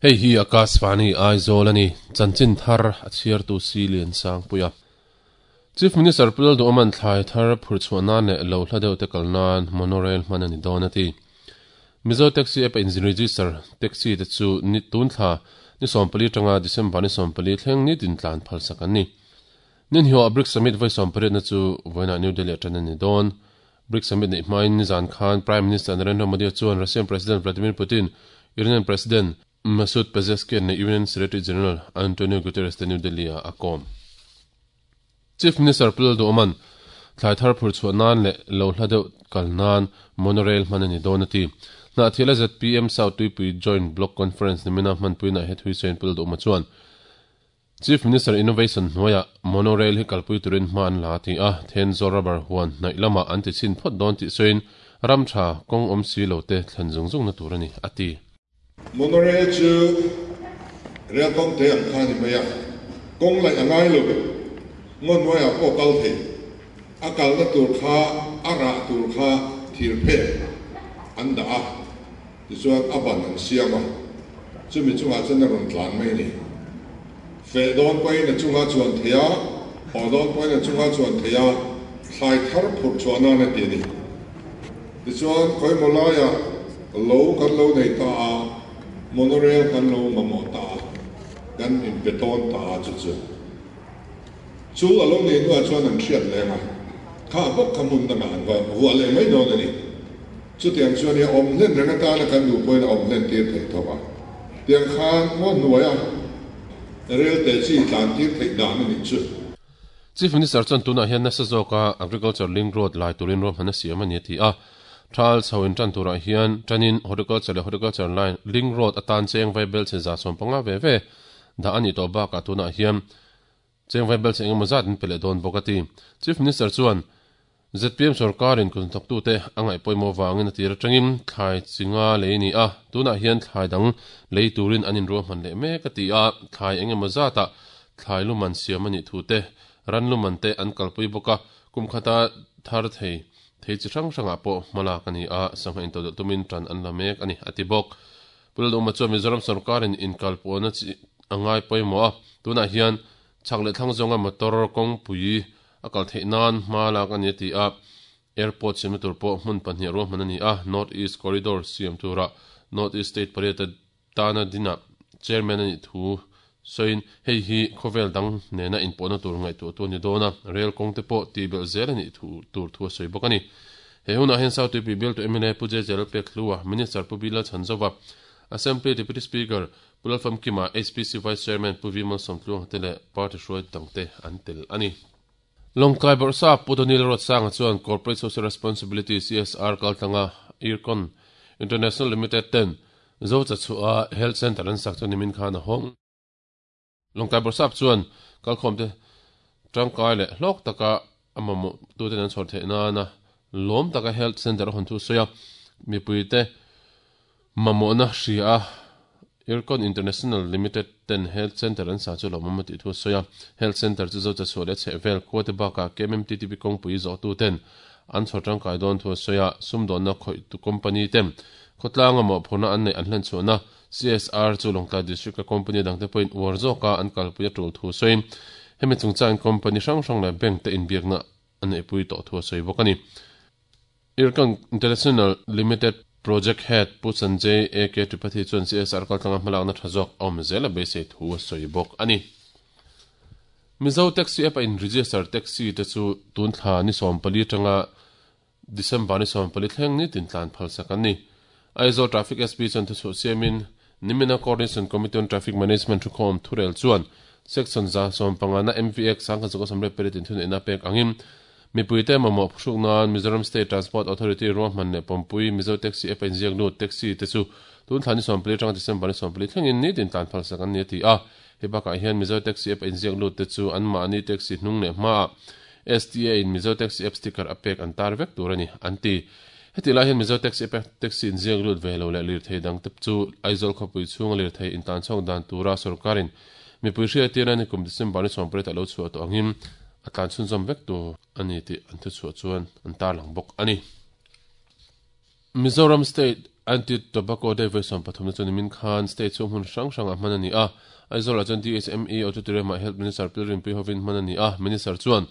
Hei hi Akashvani Aizawl a ni, chanchin thar a chhiartu si Liansangpuia. Chief Minister Pu Lalduhawma'n thlai thar phur chhuah nan leh lo hla deuh te kal nan monorail hman a ni dawn a ti. Mizo Taxi App a inregister taxi te chu ni tun thla ni 14 atanga December ni 14 thleng nitin tlan phalsak an ni. Ninhioah BRICS Summit vawi 18 na chu vawiinah New Delhi a tan a ni dawn. BRICS Summit neih hmain nizan khan Prime Minister Narendra Modi chuan Russian President Vladimir Putin, Iranian President Masoud Pezeshkian leh UN Secretary General Antonio Guterres te New Delhi-ah a kawm. Chief Minister Pu Lalduhawma'n thlai thar phur chhuah nan leh lo hla deuh kal nan monorail hman a ni dawn a ti. Hnahthiala zpm South Tuipui Joint Block Conference nimina hmanpuinaah he thuisawiin Pu Lalduhawma chuan Chief Minister Innovation hnuaiah monorail hi kalpui turin hma an la a ti a, Thenzawl rubber huan hnaih lamah an ti chhin phawt dawn tih sawiin ram tha kawng awm si lo te thlen zung zungna tur a ni a ti. Monorail chu rel kawng te ang kha a ni mai a, kawng laih a ngai lo, ngaw hnuaiah pawh kal thei, a kalna tur kha a rah tur kha thir phek an dah a, tichuan a ban an siam a, chumi chungah chuan a rawn tlan mai a ni. Feh dawn pawhin a chunga chuan thei a, haw dawn pawhin a chunga chuan thei a, thlai thar phurh chhuah nan a ti a ni. Tichuan, khawimaw laiah lo kan lo nei ta a, monorail kan lo mamawh ta a, kan inpe tawn ta a, chu chu chu a lo nei hnuah chuan an hriat leng a, kha bawk kha hmun dangah an va vuah leh mai dawn a ni. Chutiang chuan i awm hlen reng atana kan duh pawhin a awm hlen tir theih tho a, tiang khan ngaw hnuaia rel te chi tlan tir theih dan a nih chu. Chief Minister chuan tunah hian nasa zawka Agriculture Link Road lai turin ruahman a siam a ni a ti a. Thal chho in tan turah hian tanin Horticulture leh Horticulture Line Link Road atan cheng vaibel chhe 150 ve ve dah a nih tawh bakah tunah hian Cheng vaibel chhe engemaw zat an pe leh dawn bawk a ti. Chief Minister chuan zpm sorkarin kut hnathawktute a ngaih pawimawh vangin a tir atangin thlai chi nga lei a ni a, tunah hian thlai dang lei turin an inruahman leh mek a ti a, thlai engemaw zatah thlai luman siam a nih thu te, ran luman te an kalpui bawk a, kum khata thar thei thei chi hrang hrangah pawh hmalak a ni a, sangha intodelh tumin tan an la mek a ni a ti bawk. Pu Lalduhma chuan Mizoram sorkarin inkalpawhna chi a ngai pawimawh a, tunah hian chhak leh thlang zawnga motor kawngpui a kal theih nan hma lak a ni a ti a, airport siamna tur pawh hmun pahnih ruahman a ni a, North East Corridor siam turah North East State pariat a tana dinah chairman a nih thu sawiin hei hi khawvel dang nena inpawhna tur ngaihtuahtu a ni dawn a, rail kawng te pawh tihbelh zel a nih thu tur thu a sawi bawk a ni. He hunah hian South Tuipui bialtu mla Pu JJ Lalpekhlua, Minister Pu Bilal Chhanzova, Assembly Deputy Speaker Pu Lalfamkima, HPC Vice Chairman Pu V Malsawmtluanga te leh party hruai dangte an tel a ni. Lawngtlai Bawrhsa Pu Donil Ruatsanga chuan Corporate Social Responsibility, CSR, kaltlanga Ircon International Limited ten Zochachhuah Health Centre an sak chu nimin khan a hawng. Lawngtlai Bawrhsap chuan kalkhawmte tangkai leh hlawk taka a mamawhtuten an chhawr theih nana lawm taka Health Centre a hawn thu sawi a, mipuite mamawhna hria a Ircon International Limited ten Health Centre an sa chu lawmawm a tih thu a sawi a. Health Centre chu Zochachhuah leh chhehvel khuate bakah KMMTTP kawngpui zawhtuten an chhawr tangkai dawn thu a sawi a, sumdawnna khawihtu company te khawtlanga mawhphurhna an neih an hlenchhuahna CSR chu Lawngtlai District a company dangte pawhin uar zawka an kalpui a tul thu sawiin hemi chungchangin company hrang hrang leh bank te inbiakna a neihpui tawh thu a sawi bawk a ni. Ircon International Limited Project Head Pu Sanjay AK Tripathi chuan CSR kaltlanga hmalakna tha zawk a awm zel a beisei thu a sawi bawk a ni. Mizo Taxi App a in register taxi te chu tun thla ni 14 atanga December ni 14 thleng nitin tlan phalsak an ni. Aizawl Traffic SP chuan thuchhuah siamin, Nimina Coordination Committee on Traffic Management thukhawm thurel chuan Section 150 na MVX 1928 in thuneihna pek angin mipuite mamawh phuhruk nan Mizoram State Transport Authority ruahman leh pawmpui Mizo Taxi App a inziak lut taxi te chu tun thla ni 14 atanga December ni 14 thlengin nitin tlan phalsak an ni a ti a. Hei bakah hian Mizo Taxi App a inziak lut te chu anmahni taxi hnung leh hmaah STA in Mizo Taxi App sticker a pek an tar vek tur a ni, an ti. Hetih lai hian Mizo Taxi App a taxi inziak lut ve lo leh lirthei dang te chu Aizawl khawpui chhunga lirthei intan chhawk dan tura sorkarin mipui hriattirna ni kum December ni 18 a lo chhuah tawh angin a tlan chhunzawm vek tur a ni tih an thuchhuah chuan an tarlang bawk a ni. Mizoram State. Anti Tobacco Day vawi 30 na chu nimin khan state chhung hmun hrang hrangah hman a ni a. Aizawlah chuan DHME Auditorium-ah Health Minister Pilrinpui hovin hman a ni a. Minister chuan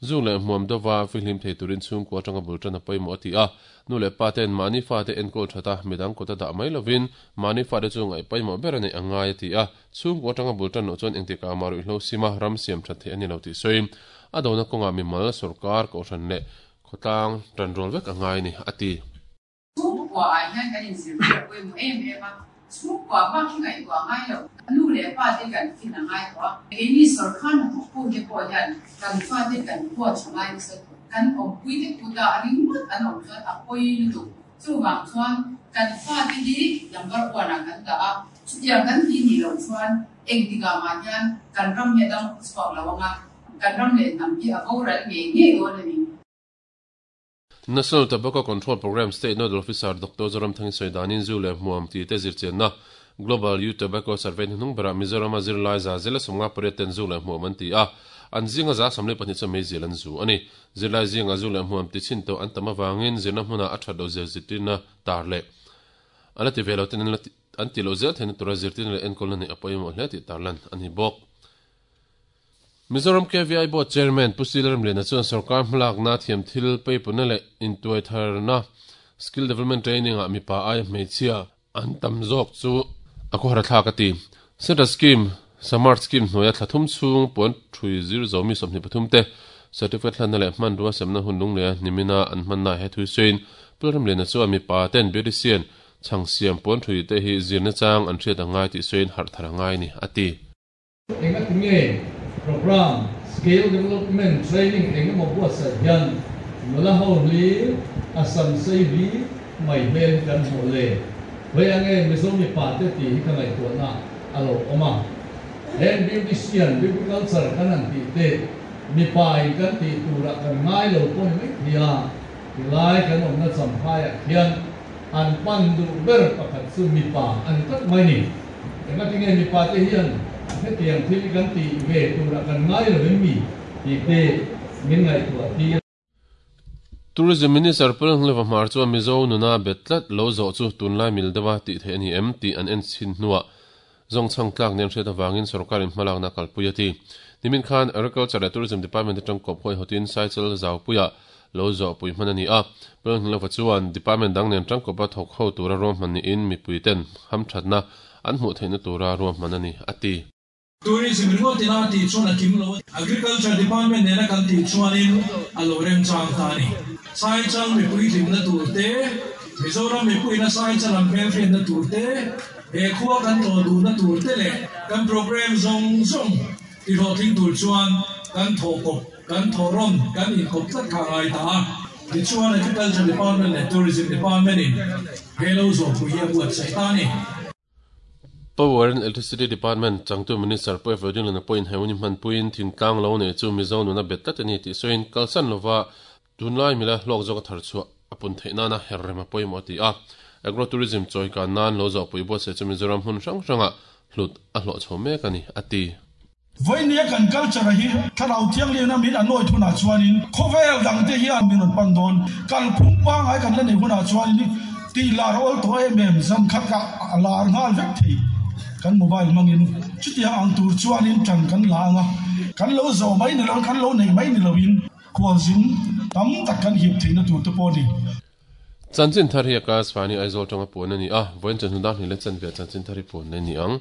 Zuk leh hmuam deuha fihlim thei turin chhungkua atanga bul tan a pawimawh a ti a. Nu leh pa ten mahni fate enkawl that a, midang kut a dah mai lovin mahni fate chu ngaih pawimawh ber a neih a ngai a ti a. Chhungkua atanga bul tan loh chuan engtikah mah ruihhlo sima ram siam that theih a ni lo tih sawiin a dona kawngah mimal, sawrkar, kohhran leh khawtlang tanrual vek a ngai a ni a ti. Chhungkua ah hian kan inzirtir a pawimawh em em a, chhungkua bak hi ngaihtuah ngai lo, nu leh pa te kan fin a ngai tawh a, keini sawrkar hnathawk tu te pawh hian kan fate kan huat tha ngai nasa tawh, kan awmpui te kut ah ringawt an awm chuan a pawi lutuk, chuvang chuan kan fate hi number one ah kan dah a, chutiang kan tih nih loh chuan engtikah mah hian kan ram hi a dam chhuak lo ang a, kan ram leh hnam hi a boral ngei ngei dawn a ni. National Tobacco Control Programme State Nodal Officer Doctor Zoramthangi sawi danin zu leh hmuam tih te zirchianna Global Youth Tobacco Survey hnuhnung berah Mizorama zirlai 158 ten zu leh hmuam an ti a, an zinga 72 chuan meizial an zu a ni. Zirlai zinga zu leh hmuam ti chhin tawh an tam avangin zirna hmunah a that loh zia zirtirna tar leh a la ti ve lo ten an ti loh zel theihna tura zirtirna leh enkawlna neih a pawimawh hle tih tarlan a ni bawk. Mizoram KVI Board Chairman Pu Sila Remliana chuan sorkar hmalakna thiam thil peipuna leh intuaitharna Skill Development Training ah mipa aia hmeichhia an tam zawk chu a khawhar thlak a ti. Central Scheme Samarth Scheme hnuaia thla thum chhung puan thui zir zo mi 23 te certificate hlanna leh hmanrua semna hun lungleia hnimina an hmanna he thui sawiin Pu Remliana chuan mipa ten beautician chhang siam puan thui te hi zirna chang an hriat a ngai tih sawiin harh thar a ngai a ni a ti. Engati nge Programme Skill Development Training eng emaw buatsaih hian nula ho hlir a sam sei hlir mai hmel hi kan hmuh le? Vawi ange Mizo mipa te tih hi ka ngaihtuahna a lo awm a. Heng beautician, beauty culture kan han tih te mipa in kan tih turah kan ngai lo pawh ni mai thei a, tilai kan awmna champhaiah khian an pan duh ber pakhat chu mipa a ni tlat mai ni. Engati nge mipa te hian hetiang thil hi kan tih ve turah kan ngai lo em mi tih te min ngaihtuah tir. Tourism Minister Pulngleva Hmar chuan Mizo nuna bet tlat lo zawh chu tunlai mil deuha tih theih a ni em tih an en chhin hnuah zawngchhang tlak nen hriat avangin sorkarin hmalakna kalpui a ti. Nimin khan Agriculture leh Tourism Department atang kawp huaihawtin Saichal Zaupuiah lo zawhpui hman a ni a. Pulngleva chuan Department dang nen tangkawpa thawk ho tura ruahman niin mipuiten hamthatna an hmuh theihna tura ruahman a ni, a ti. Tourism ringawt ina tih chuan a kim lo a, Agriculture Department nena kan tih chuanin a lo remchang ta a ni. Saichal mipui hlimna tur te, Mizoram mipuiina Saichal an hmelhriatna tur te, he khua kan tlawh duhna tur te leh kan programme zawng zawng tihlawhtling tur chuan kan thawhkawp, kan thawhrawn, kan inkawp tlat kha a ngai ta a. Tichuan Agriculture Department leh Tourism Department in he lo zawhpui hi a buatsaih ta a ni. Power and Electricity Department changtu Minister Pu Evo Dinglana pawhin he hun hi hmanpuiin thingtlang lo nei chu Mizo nuna bet tlat a ni tih sawiin kalsan lova tunlai mila hlawk zawka thar chhuah a pun theih nana her rem a pawimawh a ti a. Agro Tourism chawikan nan lo zawhpui buatsaih chu Mizoram hmun hrang hrangah hlut a hlawh chho mek a ni, a ti. Vawinia kan culture hi thlarau thianghlimna min anawih hunah chuanin khawvel dangte hian min rawn pan dawn. Kalphung pangngai kan la neih hunah chuanin tih lar a awl tawh em em, zan khat ka a lar nghal vek thei kan mobile hmangin. Chutiang ang tur chuanin tan kan la ang a, kan lo zawh mai ni loin, kan lo neih mai ni loin khualzin tam tak kan hip theihna tur te pawh a ni. Chanchin thar hi Akash Vani Aizawl tanga puan a ni a, vawiin chawhnu dar hnih leh chanve ah chanchin thar hi puan leh a ni ang.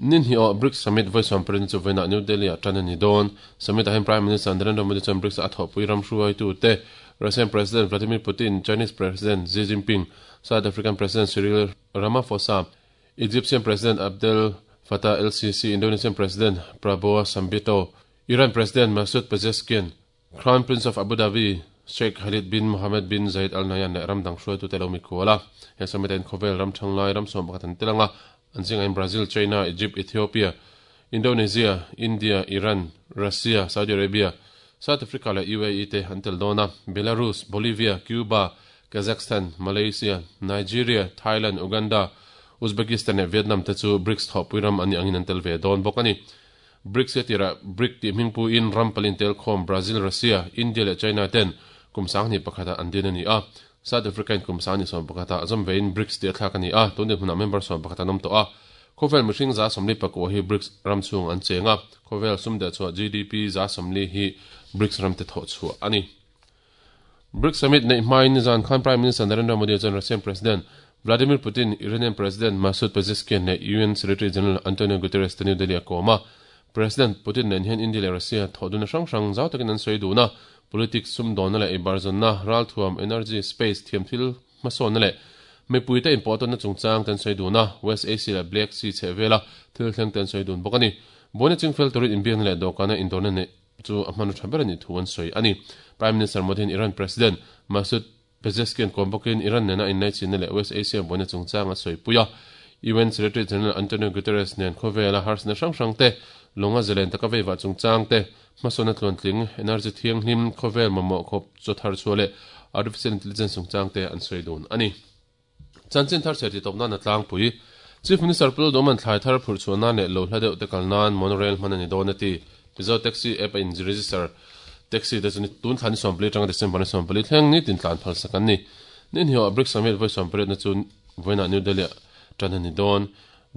Ni hnih awh BRICS Summit vawi sawmpariat chu vawiinah New Delhi ah tan a ni dawn. Summit ah hian Prime Minister Narendra Modi chuan BRICS a thawhpui ram hruaitute Russian President Vladimir Putin, Chinese President Xi Jinping, South African President Cyril Ramaphosa, Egyptian President Abdel Fattah el-Sisi, Indonesian President Prabowo Subianto, Iran President Masoud Pezeshkian, Crown Prince of Abu Dhabi, Sheikh Khalid bin Mohammed bin Zayed Al Nahyan leh ram dang hruaitute lo mikhual a. He summit-ah hian khawvel ram thanglai ram sawm pakhat an tel ang a, an zingah hian Brazil, China, Egypt, Ethiopia, Indonesia, India, Iran, Russia, Saudi Arabia, South Africa leh UAE te an tel dawn a. Belarus, Bolivia, Cuba, Kazakhstan, Malaysia, Nigeria, Thailand, Uganda, Uzbekistan leh Vietnam te chu BRICS thawhpui ram an nih angin an tel ve dawn bawk a ni. BRICS hi a tirah BRIC tih hming puiin ram palin tel khawm Brazil, Russia, India leh China ten kum 2001 ah an din a ni a. South Africa in kum 10 21 ah zawm vein BRICS tih a thlak a ni a, tun dinhmunah member 11 an awm tawh a. Khawvel mihring 49 hi BRICS ram chhung an cheng a, khawvel sum dehchhuah GDP 40 hi BRICS ramte thawhchhuah a ni. BRICS Summit neih hmain nizan khan Prime Minister Narendra Modi chuan Russian President Vladimir Putin, Iranian President Masoud Pezeshkian leh UN Secretary General Antonio Guterres te New Delhi a kawm a. President Putin nen hian India leh Russia thawhdunna hrang hrang zau takin an sawi dun a, politics, sumdawnna leh eibarzawnna, ralthuam, energy, space, thiamthil hmasawnna leh mipuite inpawhtawnna chungchang te an sawi dun a, West Asia leh Black Sea chhehvela thil thleng te an sawi dun bawk a ni. Buaina chingfel turin inbiakna leh dawhkana indawrna neih chu a hmanraw tha ber a nih thu an sawi a ni. Prime Minister Modi hian Iran President Masoud Pezeshkian kawm bawkin Iran nena inlaichinna leh West Asia buaina chungchang a sawipui a. UN Secretary General Antonio Guterres nen khawvela harsatna hrang hrang te, lawnga zalen taka veivah chungchang te, hmasawnna tluantling, energy thianghlim, khawvel mamawh khawp chaw thar chhuah leh artificial intelligence chungchang te an sawi dun a ni. Chanchin thar chhe titawp nan a tlangpui. Chief Minister Pu Lalduhman thlai thar phurh chhuah nan leh lo hla deuh te kal nan monorail hman a ni dawn a ti. Mizo Taxi app a in register taxi te chu tun thla ni 14 atanga December ni 14 thleng nitin tlan phal sak an ni. Ni hniawh BRICS Summit vawi 18 na chu vawiinah New Delhi ah tan a ni dawn.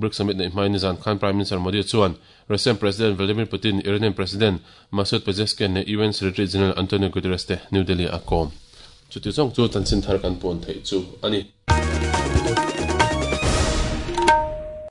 BRICS Summit neih hmain nizan khan Prime Minister Modi chuan Russian President Vladimir Putin, Iranian President Masoud Pezeshkian leh UN Secretary General Antonio Guterres te New Delhi ah a kawm. Chuti zawng chu chanchin thar kan puan theih chu a ni.